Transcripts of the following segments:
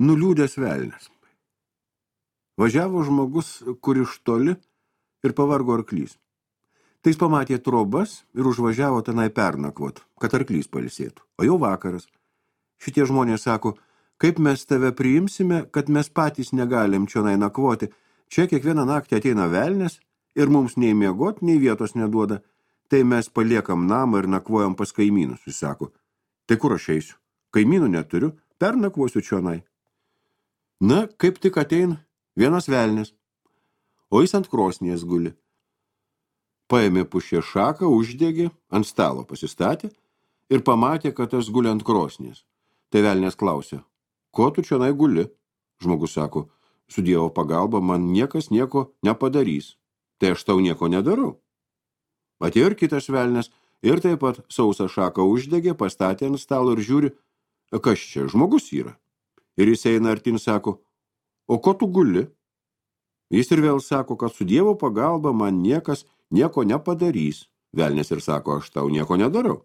Nuliūdęs velnias. Važiavo žmogus, kur iš toli ir pavargo arklys. Tai jis pamatė trobas ir užvažiavo tenai pernakvot, kad arklys pailsėtų. O jau vakaras. Šitie žmonės sako, kaip mes tave priimsime, kad mes patys negalim čionai nakvoti. Čia kiekvieną naktį ateina velnias ir mums nei miegot, nei vietos neduoda. Tai mes paliekam namą ir nakvojam pas kaimynus, jis sako. Tai kur aš eisiu? Kaimynų neturiu, pernakvosiu čionai. Na, kaip tik atein vienas velnis, o jis ant krosnies guli. Paėmė pušė šaką, uždegė, ant stalo pasistatė ir pamatė, kad tas guli ant krosnies. Tai velnės klausė, ko tu čionai guli? Žmogus sako, su Dievo pagalba man niekas nieko nepadarys, tai aš tau nieko nedarau. Atėjo ir kitas velnės ir taip pat sausą šaką uždegė, pastatė ant stalo ir žiūri, kas čia, žmogus yra. Ir jis eina artin sako, o ko tu guli? Jis ir vėl sako, kad su Dievo pagalba man niekas nieko nepadarys. Velnis ir sako, aš tau nieko nedarau.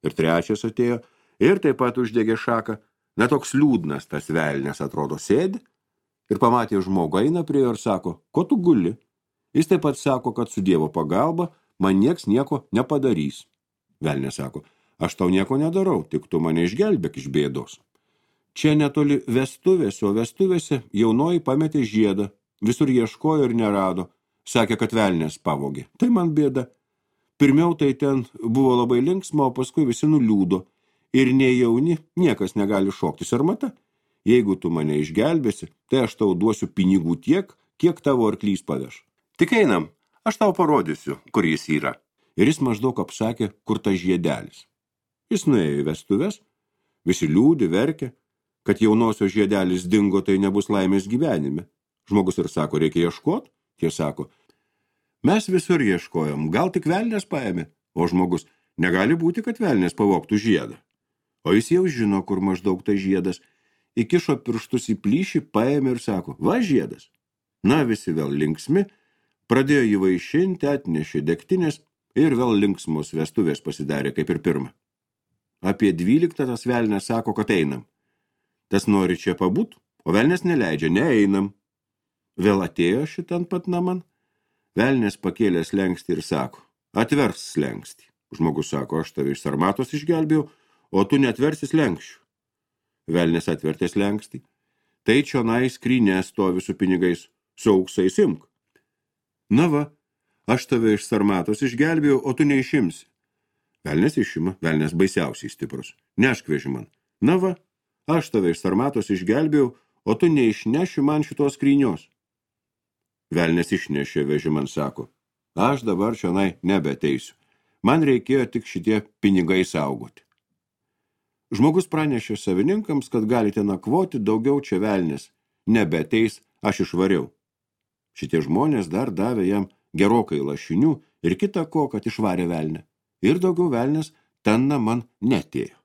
Ir trečias atėjo ir taip pat uždegė šaką. Na, toks liūdnas tas velnis atrodo sėdi ir pamatė žmogų eina prie jo ir sako, ko tu guli? Jis taip pat sako, kad su Dievo pagalba man nieks nieko nepadarys. Velnis sako, aš tau nieko nedarau, tik tu mane išgelbėk iš bėdos. Čia netoli vestuvės, o vestuvėse jaunoji pametė žiedą, visur ieškojo ir nerado, sakė, kad velnės pavogė. Tai man bėda. Pirmiau tai ten buvo labai linksma, o paskui visi nuliūdo. Ir nei jauni, niekas negali šoktis, ar mata? Jeigu tu mane išgelbėsi, tai aš tau duosiu pinigų tiek, kiek tavo arklys paveš. Tik einam, aš tau parodysiu, kur jis yra. Ir jis maždaug apsakė, kur tas žiedelis. Jis nuėjo į vestuves, visi liūdi, verkė, kad jaunosios žiedelis dingo, tai nebus laimės gyvenime. Žmogus ir sako, reikia ieškot? Tie sako, mes visur ieškojom, gal tik velnės paėmė? O žmogus, negali būti, kad velnės pavogtų žiedą. O jis jau žino, kur maždaug tai žiedas. Įkišo pirštus į plyšį, paėmė ir sako, va žiedas. Na, visi vėl linksmi, pradėjo jį vaišinti, atnešė degtinės ir vėl linksmos vestuvės pasidarė kaip ir pirma. Apie 12 tas velnės sako, kad einam. Tas nori čia pabūt, o velnės neleidžia, neeinam. Vėl atėjo šitan pat naman. Velnės pakėlė slenkstį ir sako, atvers slenkstį. Žmogus sako, aš tave iš sarmatos išgelbėjau, o tu netversi slenkščių. Velnės atvertė slenkstį. Tai čionai skryne stovi su pinigais, su auksais imk. Na va, aš tave iš sarmatos išgelbėjau, o tu neišimsi. Velnės išima, velnės baisiausiai stiprus. Nešk vežiman. Na va, aš tave iš sarmatos išgelbėjau, o tu neišneši man šitos skrynios. Velnės išnešė vežiman, sako, aš dabar čionai nebeteisiu. Man reikėjo tik šitie pinigai saugoti. Žmogus pranešė savininkams, kad galite nakvoti, daugiau čia velnės. Nebeteis, aš išvariau. Šitie žmonės dar davė jam gerokai lašinių ir kita ko, kad išvarė velnę. Ir daugiau velnės ten man netėjo.